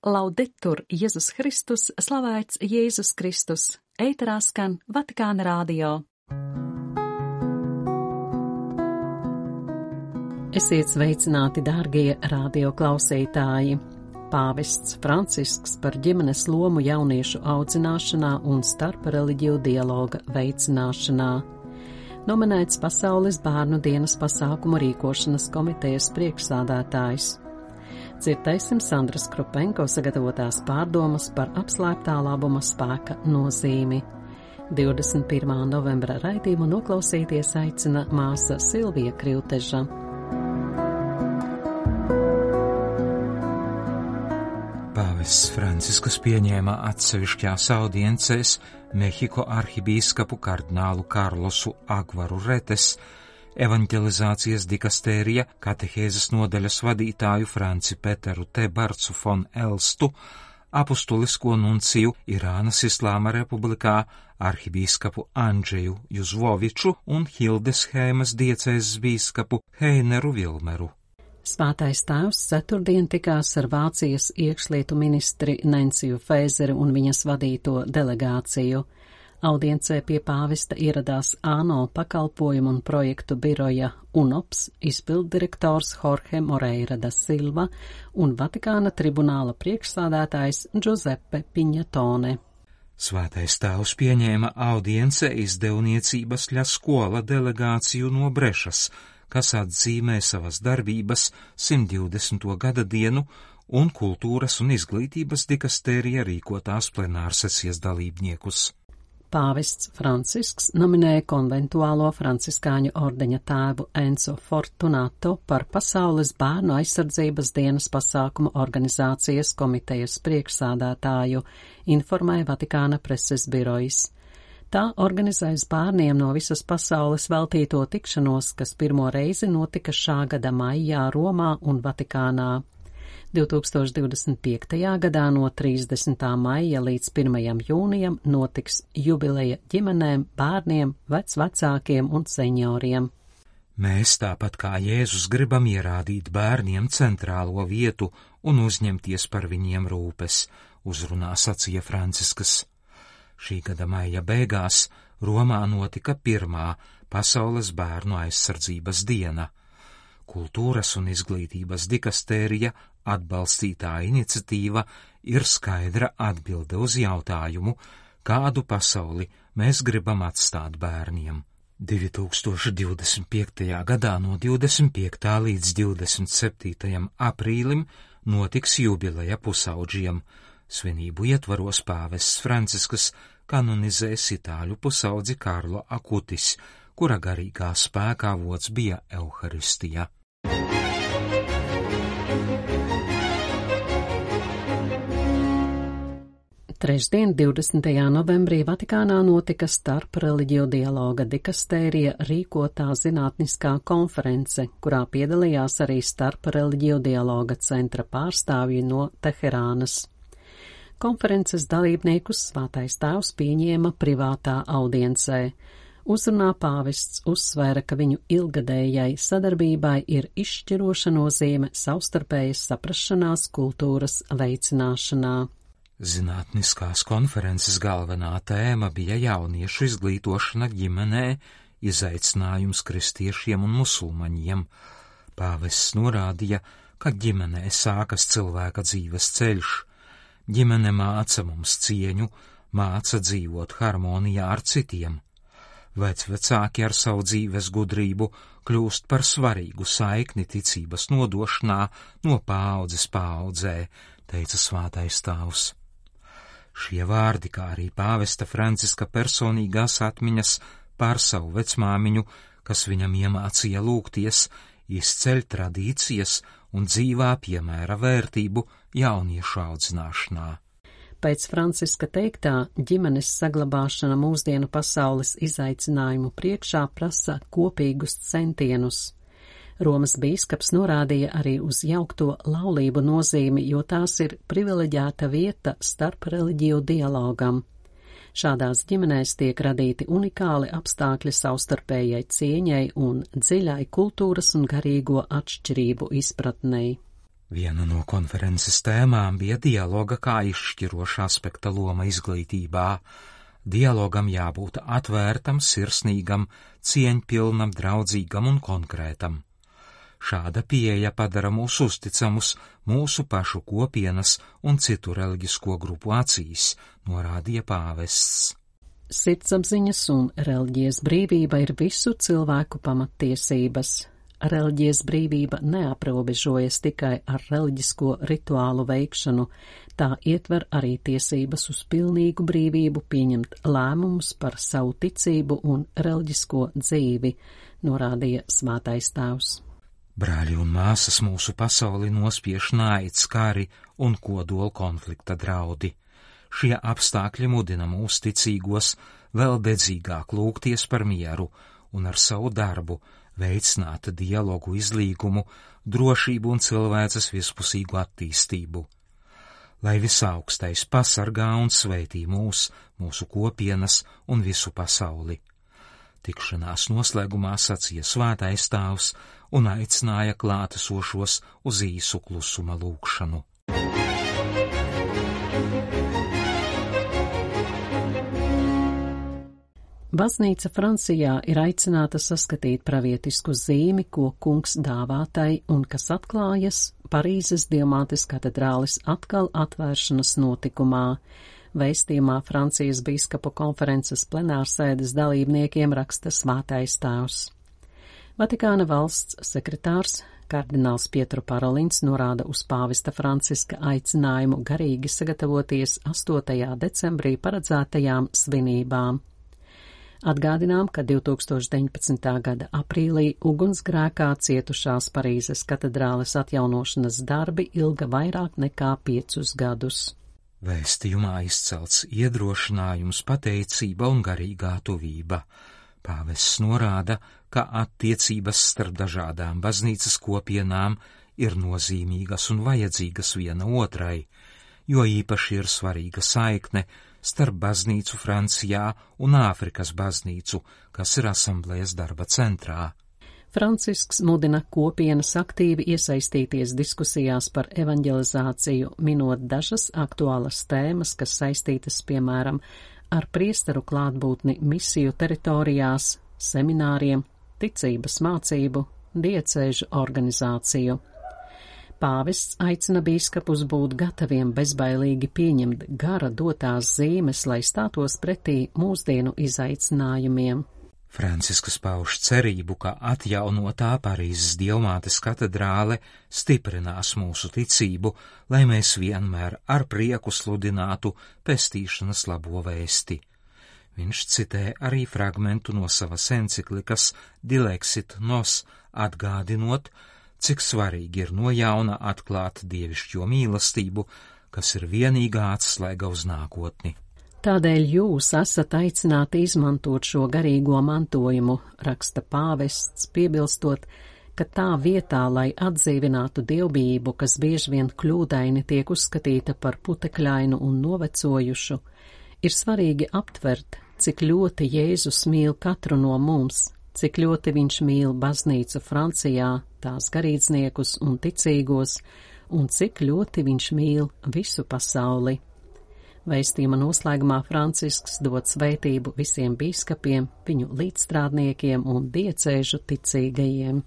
Laudetur Jēzus Kristus, slavēts Jēzus Kristus, ēterā skan Vatikāna radio. Esiet sveicināti, dārgie radio klausītāji! Pāvests Francisks par ģimenes lomu jauniešu audzināšanā un starpreliģiju dialoga veicināšanā. Nominēts Pasaules bērnu dienas pasākumu rīkošanas komitejas priekšsādātājs. Dzirdēsim Sandras Krupenko sagatavotās pārdomas par apslēptā labuma spēka nozīmi. 21. novembra raidījumu noklausīties aicina māsa Silvija Krivteža. Pāvests Franciskus pieņēma atsevišķās audiencēs Mehiko arhibīskapu kardinālu Karlosu Agvaru Retes, evanģelizācijas dikastērija katehēzes nodaļas vadītāju Franci Peteru Tebarcu fon Elstu, apustulisko nunciju Irānas Islāma republikā arhibīskapu Andžeju Juzvoviču un Hildesheimas diecēzes bīskapu Heineru Vilmeru. Svētais tēvs ceturtdien tikās ar Vācijas iekšlietu ministri Nenciju Fēzeru un viņas vadīto delegāciju. Audiencē pie pāvesta ieradās ANO pakalpojumu un projektu biroja UNOPS izpilddirektors Jorge Moreira da Silva un Vatikāna tribunāla priekšsādātājs Giuseppe Pignatone. Svētais tēvs pieņēma audiencē izdevniecības Ļa Skola delegāciju no Brešas, kas atzīmē savas darbības 120. gada dienu un kultūras un izglītības dikastērija rīkotās plenārsesijas dalībniekus. Pāvests Francisks nominēja konventuālo franciskāņu ordeņa tēvu Enzo Fortunato par Pasaules bērnu aizsardzības dienas pasākumu organizācijas komitejas priekšsādātāju, informēja Vatikāna preses birojs. Tā organizēs bērniem no visas pasaules veltīto tikšanos, kas pirmo reizi notika šā gada maijā Romā un Vatikānā. 2025. gadā no 30. maija līdz 1. jūnijam notiks jubileja ģimenēm, bērniem, vecvecākiem un senioriem. Mēs, tāpat kā Jēzus, gribam ierādīt bērniem centrālo vietu un uzņemties par viņiem rūpes, uzrunā sacīja Franciskas. Šī gada maija beigās Romā notika pirmā Pasaules bērnu aizsardzības diena. Kultūras un izglītības dikastērija atbalstītā iniciatīva ir skaidra atbilde uz jautājumu, kādu pasauli mēs gribam atstāt bērniem. 2025. gadā no 25. līdz 27. aprīlim notiks jubileja pusaudžiem. Svinību ietvaros pāvests Franciskus kanonizēs itāļu pusaudzi Karlo Akutis, kura garīgā spēka avots bija Euharistija. Trešdien, 20. novembrī Vatikānā notika starpreliģiju dialoga dikastērija rīkotā zinātniskā konference, kurā piedalījās arī starpreliģiju dialoga centra pārstāvji no Teherānas. Konferences dalībniekus Svētais tēvs pieņēma privātā audiencē. Uzrunā pāvests uzsvēra, ka viņu ilgadējai sadarbībai ir izšķiroša nozīme savstarpējas saprašanās kultūras veicināšanā. Zinātniskās konferences galvenā tēma bija jauniešu izglītošana ģimenē, izaicinājums kristiešiem un musulmaņiem. Pāvests norādīja, ka ģimenē sākas cilvēka dzīves ceļš. Ģimene māca mums cieņu, māca dzīvot harmonijā ar citiem. Vecvecāki ar savu dzīves gudrību kļūst par svarīgu saikni ticības nodošanā no paaudzes paaudzē, teica Svētais tēvs. Šie vārdi, kā arī pāvesta Franciska personīgās atmiņas par savu vecmāmiņu, kas viņam iemācīja lūgties, izceļ tradīcijas un dzīvā piemēra vērtību jauniešu audzināšanā. Pēc Franciska teiktā, ģimenes saglabāšana mūsdienu pasaules izaicinājumu priekšā prasa kopīgus centienus. Romas bīskaps norādīja arī uz jaukto laulību nozīmi, jo tās ir privileģēta vieta starp reliģiju dialogam. Šādās ģimenēs tiek radīti unikāli apstākļi savstarpējai cieņai un dziļai kultūras un garīgo atšķirību izpratnei. Viena no konferences tēmām bija dialoga kā izšķiroša aspekta loma izglītībā. Dialogam jābūt atvērtam, sirsnīgam, cieņpilnam, draudzīgam un konkrētam. Šāda pieeja padara mūs uzticamus mūsu pašu kopienas un citu reliģisko grupu acīs, norādīja pāvests. Sirdsapziņas un reliģijas brīvība ir visu cilvēku pamattiesības. Reliģijas brīvība neaprobežojas tikai ar reliģisko rituālu veikšanu, tā ietver arī tiesības uz pilnīgu brīvību pieņemt lēmumus par savu ticību un reliģisko dzīvi, norādīja Svētais Tēvs. Brāļi un māsas, mūsu pasauli nospiež naids, kari un kodola konflikta draudi. Šie apstākļi mudina mūs ticīgos vēl dedzīgāk lūgties par mieru un ar savu darbu veicināt dialogu, izlīgumu, drošību un cilvēces vispusīgu attīstību. Lai visaugstais pasargā un sveitī mūsu kopienas un visu pasauli. Tikšanās noslēgumā sacīja Svētais Tēvs un aicināja klātesošos uz īsu klusuma lūgšanu. Baznīca Francijā ir aicināta saskatīt pravietisku zīmi, ko kungs dāvā tai un kas atklājas Parīzes Dievmātes katedrāles atkal atvēršanas notikumā. Vēstījumā Francijas bīskapu konferences plenārsēdes dalībniekiem raksta Svētais Tēvs. Vatikāna valsts sekretārs kardināls Pietro Parolins norāda uz pāvesta Franciska aicinājumu garīgi sagatavoties 8. decembrī paredzētajām svinībām. Atgādinām, ka 2019. gada aprīlī ugunsgrēkā cietušās Parīzes katedrāles atjaunošanas darbi ilga vairāk nekā 5 gadus. Vēstījumā izcelts iedrošinājums, pateicība un garīgā tuvība. Pāvests norāda, ka attiecības starp dažādām baznīcas kopienām ir nozīmīgas un vajadzīgas viena otrai, jo īpaši ir svarīga saikne starp baznīcu Francijā un Āfrikas baznīcu, kas ir asamblējas darba centrā. Francisks mudina kopienas aktīvi iesaistīties diskusijās par evanģelizāciju, minot dažas aktuālas tēmas, kas saistītas, piemēram, ar priesteru klātbūtni misiju teritorijās, semināriem, ticības mācību, diecēžu organizāciju. Pāvests aicina bīskapus būt gataviem bezbailīgi pieņemt gara dotās zīmes, lai stātos pretī mūsdienu izaicinājumiem. Francisks pauž cerību, ka atjaunotā Parīzes Dievmātes katedrāle stiprinās mūsu ticību, lai mēs vienmēr ar prieku sludinātu pestīšanas labo vēsti. Viņš citē arī fragmentu no savas enciklikas Dilexit Nos, atgādinot, cik svarīgi ir no jauna atklāt dievišķo mīlestību, kas ir vienīgā atslēga uz nākotni. Tādēļ jūs esat aicināti izmantot šo garīgo mantojumu, raksta pāvests, piebilstot, ka tā vietā, lai atdzīvinātu dievbijību, kas bieži vien kļūdaini tiek uzskatīta par putekļainu un novecojušu, ir svarīgi aptvert, cik ļoti Jēzus mīl katru no mums, cik ļoti viņš mīl baznīcu Francijā, tās garīdzniekus un ticīgos, un cik ļoti viņš mīl visu pasauli. Vēstījuma noslēgumā Francisks dod svētību visiem bīskapiem, viņu līdzstrādniekiem un diecēžu ticīgajiem.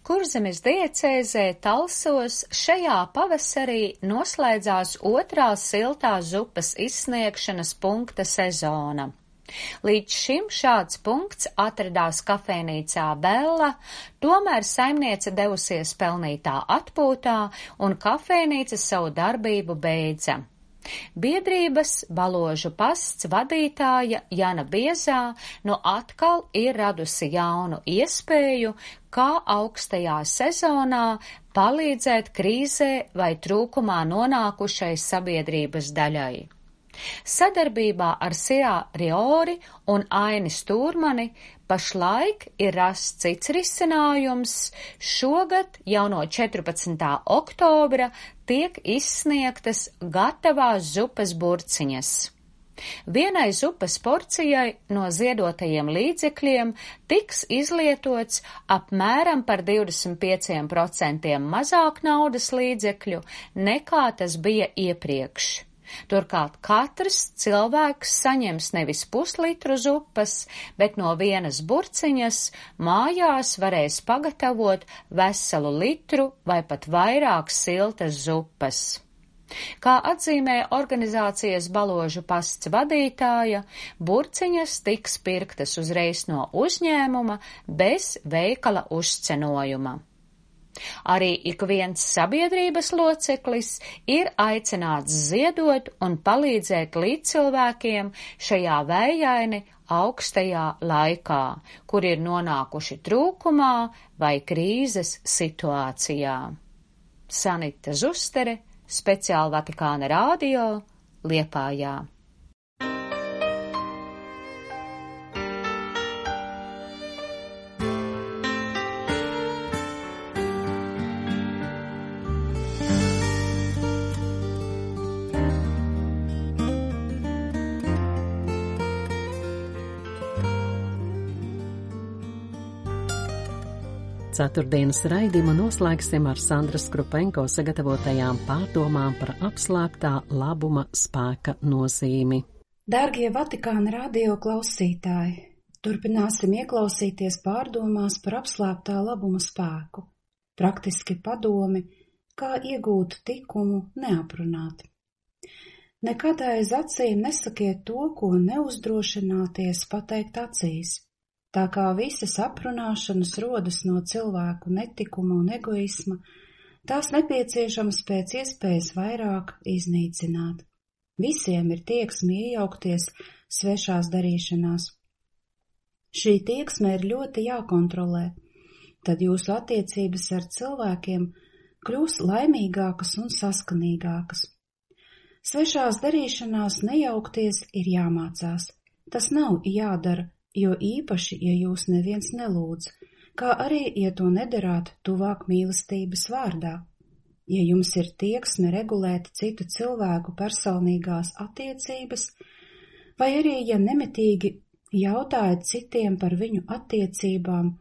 Kurzemes diecēzē Talsos šajā pavasarī noslēdzās otrā siltās zupas izsniegšanas punkta sezona. Līdz šim šāds punkts atradās kafejnīcā Bella, tomēr saimniece devusies pelnītā atpūtā un kafejnīca savu darbību beidza. Biedrības Baložu pasts vadītāja Jana Biezā nu atkal ir radusi jaunu iespēju, kā augstajā sezonā palīdzēt krīzē vai trūkumā nonākušai sabiedrības daļai. Sadarbībā ar Sirā Riori un Aini Stūrmani pašlaik ir rasts cits risinājums. Šogad jau no 14. oktobra tiek izsniegtas gatavās zupas burciņas. Vienai zupas porcijai no ziedotajiem līdzekļiem tiks izlietots apmēram par 25% mazāk naudas līdzekļu, nekā tas bija iepriekš. Turklāt katrs cilvēks saņems nevis puslitru zupas, bet no vienas burciņas mājās varēs pagatavot veselu litru vai pat vairāk siltas zupas. Kā atzīmē organizācijas Baložu pasts vadītāja, burciņas tiks pirktas uzreiz no uzņēmuma bez veikala uzcenojuma. Arī ik viens sabiedrības loceklis ir aicināts ziedot un palīdzēt līdzcilvēkiem šajā vējaini augstajā laikā, kur ir nonākuši trūkumā vai krīzes situācijā. Sanita Zustere, Speciāli Vatikāna radio, Liepājā. Ceturtdienas raidījumu noslēgsim ar Sandras Krupenko sagatavotajām pārdomām par apslēptā labuma spēka nozīmi. Dārgie Vatikāna radio klausītāji, turpināsim ieklausīties pārdomās par apslēptā labuma spēku, praktiski padomi, kā iegūt tikumu neaprunāt. Nekad aiz acīm nesakiet to, ko neuzdrošināties pateikt acīs. Tā kā visas aprunāšanas rodas no cilvēku netikuma un egoisma, tās nepieciešams pēc iespējas vairāk iznīcināt. Visiem ir tieksme iejaukties svešās darīšanās. Šī tieksme ir ļoti jākontrolē, tad jūsu attiecības ar cilvēkiem kļūs laimīgākas un saskanīgākas. Svešās darīšanās nejaukties ir jāmācās, tas nav jādara, jo īpaši, ja jūs neviens nelūdz, kā arī, ja to nedarāt tuvāk mīlestības vārdā. Ja jums ir tieksme regulēt citu cilvēku personīgās attiecības, vai arī, ja nemitīgi jautājat citiem par viņu attiecībām,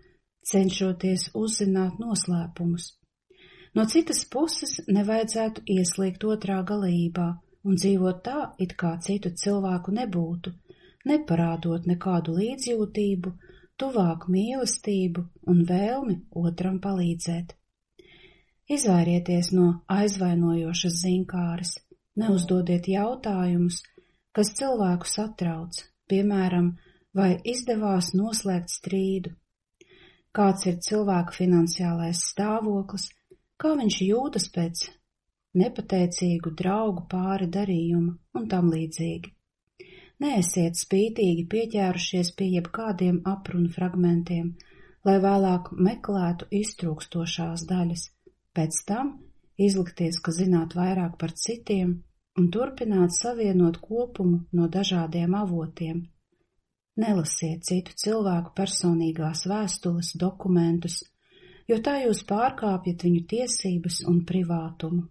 cenšoties uzzināt noslēpumus. No citas puses nevajadzētu ieslīgt otrā galībā un dzīvot tā, it kā citu cilvēku nebūtu, neparādot nekādu līdzjūtību, tuvāk mīlestību un vēlmi otram palīdzēt. Izvairieties no aizvainojošas zinkāres, neuzdodiet jautājumus, kas cilvēku satrauc, piemēram, vai izdevās noslēgt strīdu, kāds ir cilvēka finansiālais stāvoklis, kā viņš jūtas pēc nepateicīgu draugu pāri darījuma un tam līdzīgi. Neesiet spītīgi pieķērušies pie jebkādiem aprunu fragmentiem, lai vēlāk meklētu iztrūkstošās daļas, pēc tam izlikties, ka zināt vairāk par citiem un turpināt savienot kopumu no dažādiem avotiem. Nelasiet citu cilvēku personīgās vēstules, dokumentus, jo tā jūs pārkāpjat viņu tiesības un privātumu.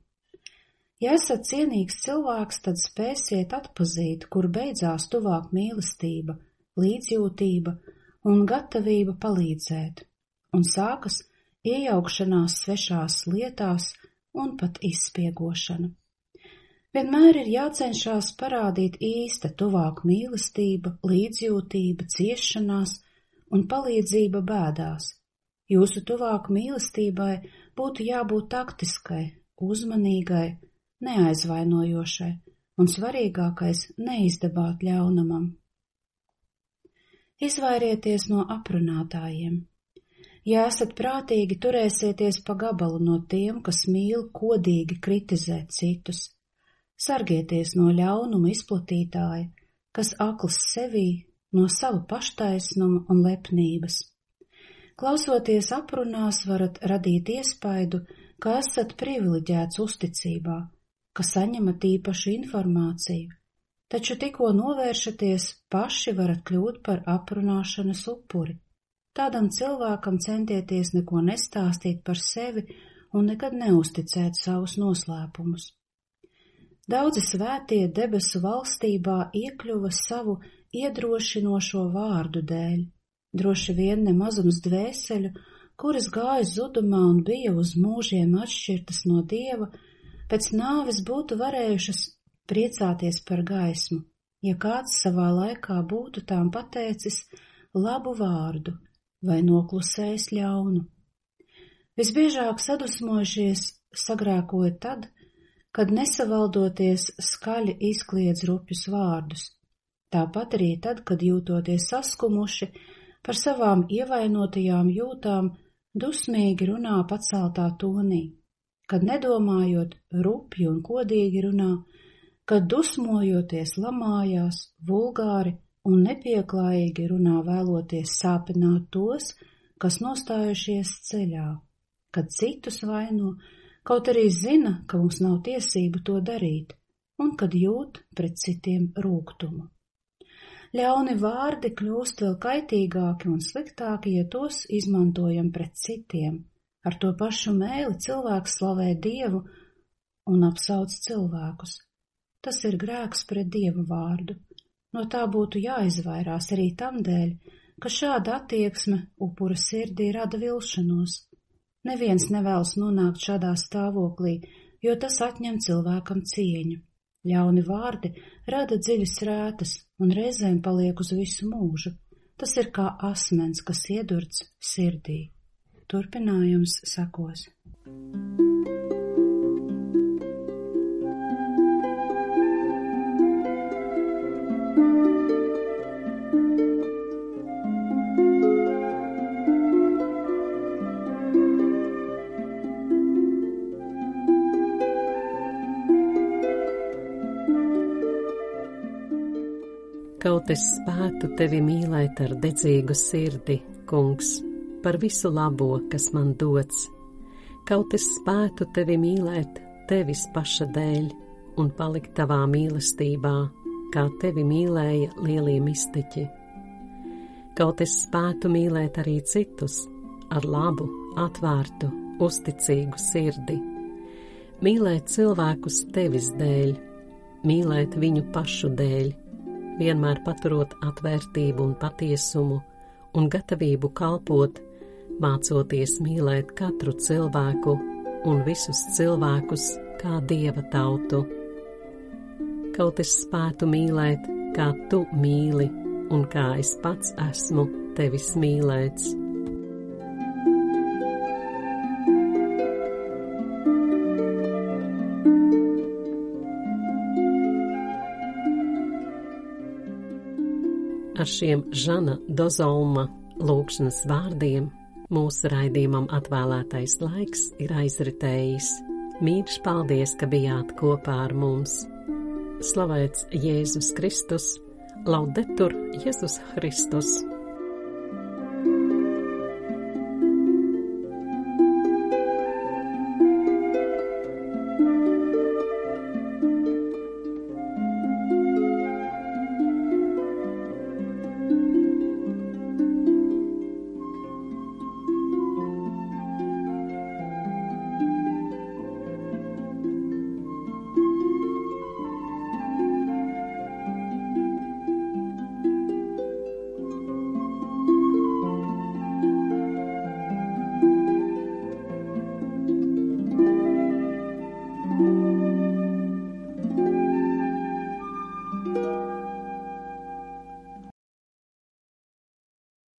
Ja esat cienīgs cilvēks, tad spēsiet atpazīt, kur beidzās tuvāk mīlestība, līdzjūtība un gatavība palīdzēt, un sākas iejaukšanās svešās lietās un pat izspiegošana. Vienmēr ir jācenšas parādīt īsta tuvāk mīlestība, līdzjūtība, ciešanās un palīdzība bēdās. Jūsu tuvāk mīlestībai būtu jābūt taktiskai, uzmanīgai, neaizvainojošai un svarīgākais neizdabāt ļaunumam. Izvairieties no aprunātājiem. Ja esat prātīgi, turēsieties pa gabalu no tiem, kas mīl kodīgi kritizēt citus. Sargieties no ļaunuma izplatītāja, kas akls sevī no sava paštaisnuma un lepnības. Klausoties aprunās, varat radīt iespaidu, ka esat privileģēts uzticībā, ka saņemat īpašu informāciju, taču tikko novēršaties, paši varat kļūt par aprunāšanas upuri. Tādam cilvēkam centieties neko nestāstīt par sevi un nekad neusticēt savus noslēpumus. Daudzi svētie debesu valstībā iekļuva savu iedrošinošo vārdu dēļ, droši vien ne mazums dvēseļu, kuras gāja zudumā un bija uz mūžiem atšķirtas no Dieva, pēc nāves būtu varējušas priecāties par gaismu, ja kāds savā laikā būtu tām pateicis labu vārdu vai noklusējis ļaunu. Visbiežāk sadusmojušies sagrēkoja tad, kad nesavaldoties skaļi izkliedz rupjus vārdus, tāpat arī tad, kad jūtoties saskumuši par savām ievainotajām jūtām, dusmīgi runā paceltā tonī, kad nedomājot rupji un kodīgi runā, kad dusmojoties lamājās, vulgāri un nepieklājīgi runā vēloties sāpināt tos, kas nostājušies ceļā, kad citus vaino, kaut arī zina, ka mums nav tiesību to darīt, un kad jūt pret citiem rūgtumu. Ļauni vārdi kļūst vēl kaitīgāki un sliktāki, ja tos izmantojam pret citiem. Ar to pašu mēli cilvēks slavē Dievu un apsauc cilvēkus. Tas ir grēks pret Dieva vārdu. No tā būtu jāizvairās arī tam dēļ, ka šāda attieksme upura sirdī rada vilšanos. Neviens nevēlas nonākt šādā stāvoklī, jo tas atņem cilvēkam cieņu. Ļauni vārdi rada dziļas rētas un reizēm paliek uz visu mūžu. Tas ir kā asmens, kas iedurts sirdī. Turpinājums sekos. Kaut es spētu tevi mīlēt ar dedzīgu sirdi, kungs, par visu labo, kas man dots. Kaut es spētu tevi mīlēt tevis paša dēļ un palikt tavā mīlestībā, kā tevi mīlēja lielie mistiķi. Kaut es spētu mīlēt arī citus ar labu, atvērtu, uzticīgu sirdi. Mīlēt cilvēkus tevis dēļ, mīlēt viņu pašu dēļ, vienmēr paturot atvērtību un patiesumu un gatavību kalpot, mācoties mīlēt katru cilvēku un visus cilvēkus kā Dieva tautu. Kaut es spētu mīlēt, kā tu mīli un kā es pats esmu tevis mīlēts. Ar šiem Žana Dozolma lūgšanas vārdiem mūsu raidījumam atvēlētais laiks ir aizritējis. Mīļš paldies, ka bijāt kopā ar mums. Slavēts Jēzus Kristus, Laudetur Jēzus Kristus!